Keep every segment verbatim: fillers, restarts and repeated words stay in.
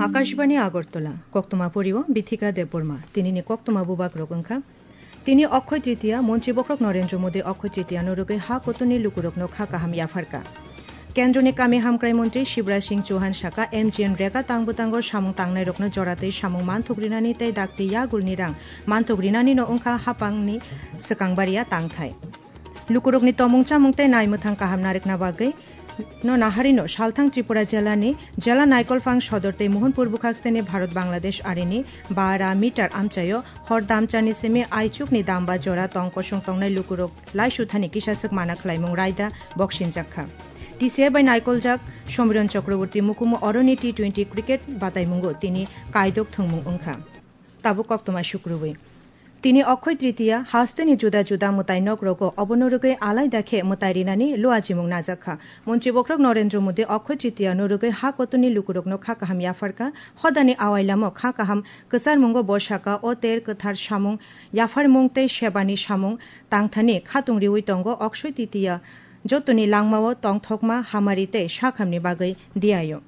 Akashbani Agartala, koktwma pori-o Bithika Debbarma. Tinini koktwma bubagrok wngkha: Tini Okhoy Tritiya, Montri Bokhorok Narendra Modi Okhoy Tritiya no rwgwi ha kotorni lukurokno kha kaham yapharkha. Kendroni Kami Hamkrai Montri Shivraj Singh Chauhan saka, M G N Rega tang bwtango samung tangnairokno joratwi samung manthok rinani tei dakti yagulni rang manthok rinani no wngkha hapangni swkang baria tangthai. Lukurokni tomung chamung tei naimwthang kaham narwkna bagwi no naharino salthang Tripura jelani Jela Naikolphang Sodor tei Mohonpur bwkhaksteni Bharat Bangladesh arini bara meter amchaio hor damchani simi aichukni damba jora tong kosong tongnai lukurok laisuthani kisaswk mana khwlaimung raida boksinjakha. T C A bai naikoljak Somiron Chakraborty mukumu oroni T twenty cricket bataimungo tini kaidok thwngmung wngkha. Tabuk koktwma sukrubwi. Tini Okhoy Tritiya, hasteni juda juda mwtai nok rogo obono rwgwi alaida khe mwtai rinani luachimung najakha. Montri Bokhorok Narendra Modi Okhoy Tritiya no rwgwi ha kotorni lukurokno kha kaham yapharkha, hodani awailamo kha kaham kwcharmungo bo saka, o ter kwthar samung yapharmung tei sebani samung tangthani khatung riwi tongo Okhoy Tritiya, jotoni langmao tongthokma hamari tei sakhamni bagwi diyaio.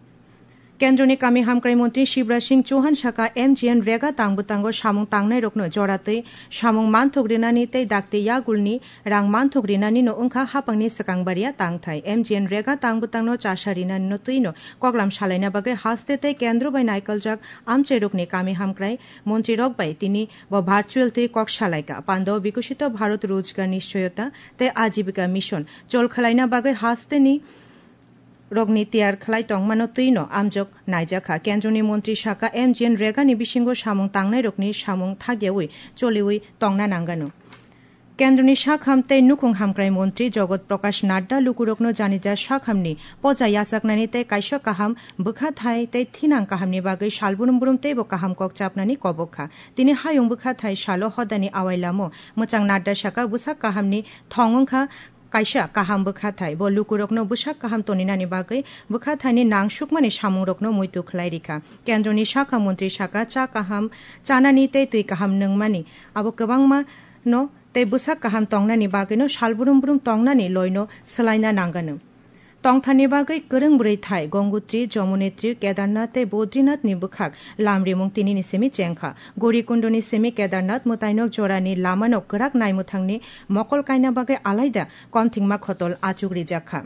Kendroni Kami Hamkrai Montri Shivraj Singh Chauhan saka, M G N Rega tang bwtango samung tangnairokno joratwi samung manthok rinani tei dakti yagulni rang manthok rinani no wngkha hapangni swkang baria tangthai. M G N Rega tang bwtangno chasa rinani no twino koklam salaina bagwi haste tei kendro bai naikoljak amchairokni kami hamkrai montrirok bai tini bo virtual twi kok salaikha. Pandao Bikosito Bharat Rojgar Nishchoyota tei Ajibika Mission chol khwlaina bagwi hasteni rokni tiyar khlai tongmano twino amjok naijakha. Kendroni montri saka, M G N Regani bisingo samung tangnairokni samung thagyawi choliwi tongna nangano. Kendroni sakham tei nukhung hamkrai montri Jogot Prakash Nadda lukurokno janija sakhamni poja yachaknani tei kaisa kaham bwkha thai tei thinang kahamni bagwi salbrum brum teibo kaham kok chapnani kobok kha. Tini hayung bwkha thai salo hodani awailamo mwchang Nadda saka, bwsak kahamni thong wngkha kaisa kaham bwkha thai. Bo lukurokno bwsak kaham toninani bagwi bwkha thaini nangsukmani samungrokno muitu khlai rikha. Kendroni sakha montri saka, cha kaham chanani tei twi kaham nwngmani abo kwbangma no tei bwsak kaham tongnani bagwino salbrum brum tongnani loino swlaina nangano. Tongthani bagwi kwrwng bwrwi thai Gongotri, Jomunetri, Kedarnath tei Bodrinathni bwkhak lamrimung tinini simi chengkha. Gorikundoni simi Kedarnath mwtainok jorani lamano kwrak naimwthangni mokol kaina bagwi alaida komthingma khotol achuk rijakha.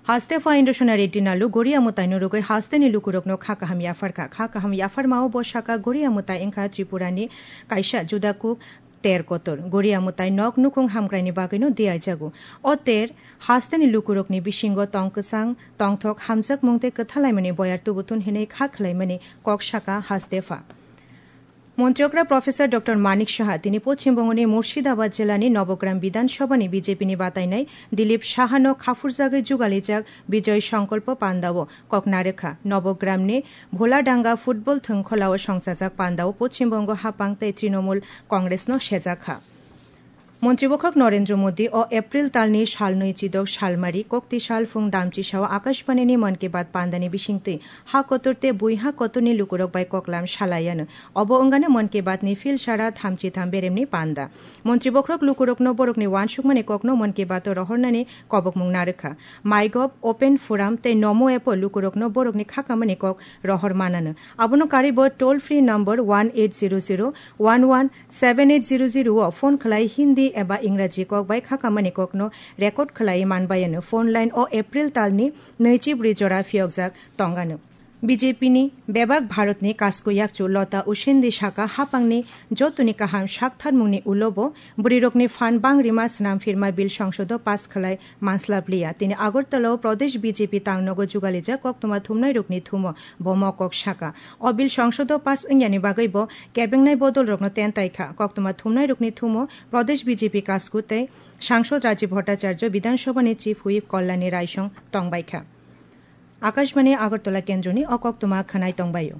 Haste pha Indrasena Reddy Nalu Goria mwtaino rwgwi hasteni lukurokno kha kaham yapharkha. Kha kaham yapharmao bo saka, Goria mwtai wngkha Tripurani kaisa juda kuk ter kotor. Goria mwtai nok nukhung hamkraini bagwino diaijago. O ter hasteni lukurokni bisingo tong kwchang, tongthok, hamjakmung tei kwthalaimani boyar tubutun hinwi kha khwlaimani kok saka haste pha. Montri okra Professor Doctor Manik Saha tini Poschim Bongoni Murshidabad jilani Nobogram Bidhan Sabhani B J P ni batainai Dilip Sahano khapurjagwi jugalijak Bijoy Sankalpo Pandao kok narwkha. Nobogramni Bholadanga football thwngkholao songchajak Pandao Poschim Bongo hapang tei Trinamool Congress no sejakha. Montri bokhok Narendra Modi o April talni sal nwi chidok salmari kokti salphung damchisao Akashbanini Mann Ki Baat pandani bisingtwi ha kotor tei buiha kotorni lukurok bai koklam salaiano. Obo wngano Mann Ki Baatni philsara thamchi tham beremni panda. Montri bokhok lukurokno borokni uansukmani kokno Mann Ki Baato rohornani kobokmung narwkha. MyGov, Open Forum tei Namo app-o lukurokno borokni khakamani kok rohor manano. Abono karwi bo toll free number one eight zero zero one one seven eight zero zero o phone khlai Hindi eba Ingraji kok bai khakamani kokno record khlai manbayano. Phone line o April talni nwichi bwrwi jora phiyokjak tongano. B J P ni bebak Bharatni kasku yakchu Lata Usindi saka hapangni jotoni kaham saktharmungni ulo bo bwrwirokni phan bangrima swnam phirma bill songsodo pass khlai manslap liya. Tini Agartala o Pradesh B J P tangnogo jugalijak koktwma thumnairokni thumo bo mokok saka. O bill songsodo pass wngyani bagwi bo kebengnai bodolrokno tentai kha. Koktwma thumnairokni thumo Pradesh B J P kasku tei Sangsod Rajiv Bhattacharya, Bidhan Sabhani Chief Whip Kalyani Raisong tongbai kha. Akashbani Agartala kendroni o koktwma khwnai tongbaio.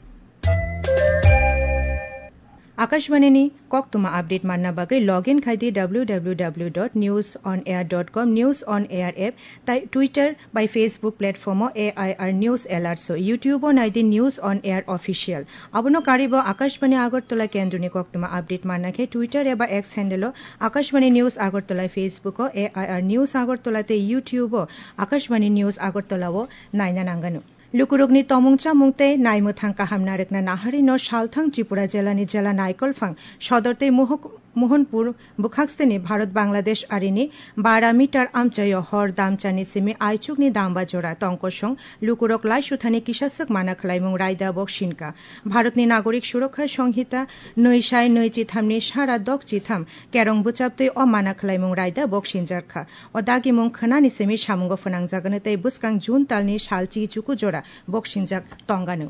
Akashbani ni koktwma update manna bagwi log in khai di W W W dot news on air dot com, News on Air app, tai Twitter bai Facebook platform o A I R News Alerts o, YouTube o nai di News on Air Official. Abono karwi bo Akashbani Agartala kendroni koktwma update manna khe Twitter eba X handle o Akashbani News Agartala, Facebook o A I R News Agartala tei YouTube o Akashbani News Agartala o naina nangano. Lukurokni tomung chamung tei naimwthang kaham narwkna naharino salthang Tripura jelani jela Naikolphang sodor tei Mohok-, Mohonpur bwkhaksteni Bharat Bangladesh arini bara meter amchaio hor damchani simi aichukni damba jora tongkosong lukurok laisuthani kisaswk mana khwlaimung raida bok sinka. Bharatni Nagorik Surokha Songhita nwi sai nwi chithamni sara dok chitham kerong bwchaptwi o mana khwlaimung raida bok sinjarkha. O dagimung khwnani simi samungo phwnangjaganw tei bwskang June talni salchi chuku jora bok sinjak tongganw.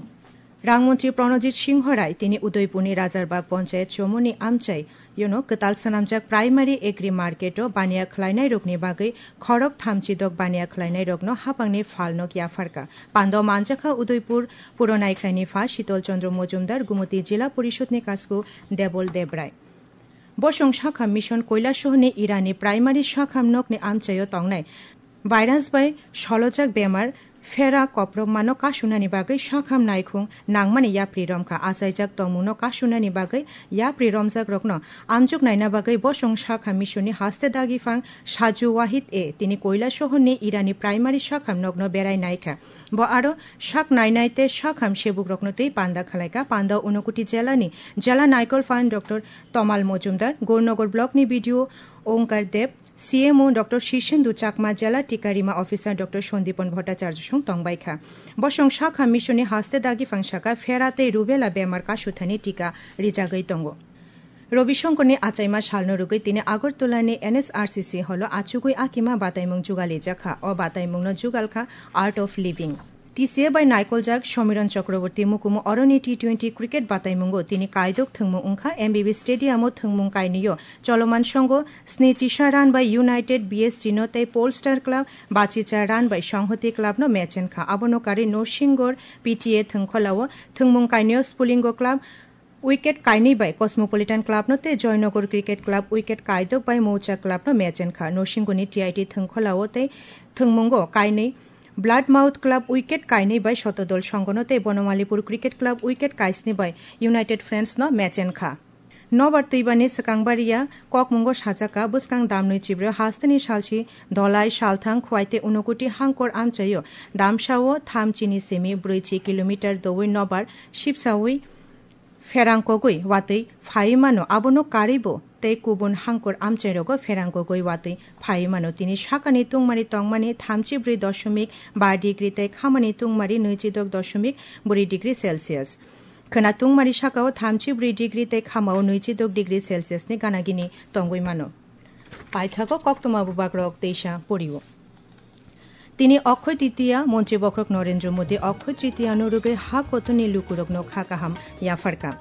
Rangmantri Pranojit Singho Rai tini Udaipurni Rajarbag Panchayat Chomoni amchai yono kwtal swnamjak Primary Agri Market o baniya khwlainairokni bagwi khorok thamchi dok baniya khwlainairokno hapangni phalnok yapharka. Pando manjakha Udaipur Puro Naikhlaini pha Shitol Chandra Mojumdar, Gumuti Jila Porishadni kasku Debol Debrai. Bosong Sakham Mission Koilasohorni Irani Primary Sakham nokni amchaio tongnai virus bai solojak bemar phera koprokmano kasunani bagwi sakham naikhung nangmani yapri romkha. Achaijak tongmungno kasunani bagwi yapri romjakrokno amjok naina bagwi Bosong Sakham Missionni haste dagifang Saju Wahid e tini Koilasohorni Irani Primary Sakham nokno berai naikha. Bo aro sak nainai tei sakham sebukrokno twi panda khwlaikha. Panda Unakoti jelani jela Naikolphang Doctor Tomal Mojumdar, Gornagar Blockni B D O Onkar Deb, C M O Doctor Shishendu Chakma, jela tika rima officer Doctor Sandipan Bhattacharya song tongbaikha. Bosong Sakham Missionni haste dagifang saka phera tei rubella bemar kasuthani tika rijagwi tongo. Robi Shankarni achaima salno rwgwi tini Agartalani N S R C C holo achugwi akima bataimung jugalijak kha. O bataimungno jugal kha Art of Living. T C A bai naikoljak Somiron Chakraborty mukumu oroni T twenty cricket bataimungo tini kaidok thwngmung wngkha. M B B Stadium o thwngmung kainwio choloman songo snichisa run bai United B S G no tei Polestar Club bachicha run bai Songhoti Club no match wngkha. Abono karwi Nosingor P T A thwngkholao thwngmung kainwio Spulingo Club wicket kainwi bai Cosmopolitan Club no tei Joynagar Cricket Club wicket kaidok bai Moucha Club no match wngkha. Nosingoni T I T thwngkholao tei thwngmungo kainwi Bloodmouth Club wicket kainwi bai Sotodol Songhono tei Bonomalipur Cricket Club wicket kaisni bai United Friends no match wngkha. Nobar twibani swkang bariya kokmungo sajak kha, bwskang damnwi chibrwi hasteni salsi Dholai, Salthang, Khwaite, Unakoti, Hangkor amchaio damsao thamchini simi brwichi kilometer doui nobar sipsaui pherangkogwi watwi phaiwi mano, abono karwibo tei kubun Hangkor amchairogo pherangkogwi watwi phaiwi mano. Tini sakani tungmani tongmani thamchi brwi doshomik ba degree tei khamani tungmani nwichi dok doshomik brwi degree Celsius. Khwna tungmani sakao thamchi brwi degree tei khamao nwichi dok degree Celsius ni ganagini tongwi mano. Paithago koktwma bubagrok teisa porio. Tini Okhoy Titiya, Montri Bokhorok Narendra Modi Okhoy Titiya no rwgwi ha kotorni lukurokno kha kaham yapharkha.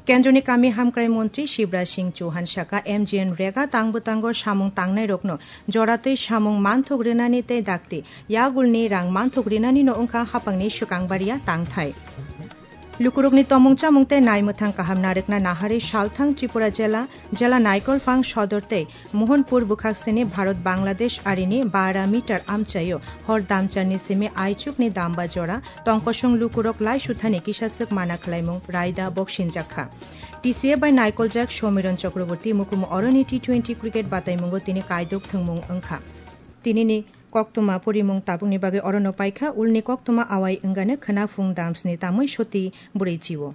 Kendroni kami hamkrai montri Shivraj Singh Chauhan saka M G N rega tang bwtango samung tangnairokno joratwi samung manthok rwnani tei dakti yagulni rang manthok rinani no wngkha hapangni swkang bariya tangthai. Lukurokni tomung chamung tei naimwthang kaham narwkna naharwi salthang Tripura jela, jela Naikolphang sodor tei Mohanpur bwkhaksini Bharat Bangladesh arini bara meter amchaio hor damcharni simi aichukni damba jora tongkosong lukurok laisuthani kisaswk mana khwlaimung raida boksinjak kha. T C A bai naikoljak Somiron Chakraborty mukumu oroni T twenty cricket bataimungo tini kaidok thwngmung wngkha. Tinini koktwma porimung tabukni bagwi orono paikha, ulni koktwma awai wngani khwna phung damsni tamwi soti bwrwi chio.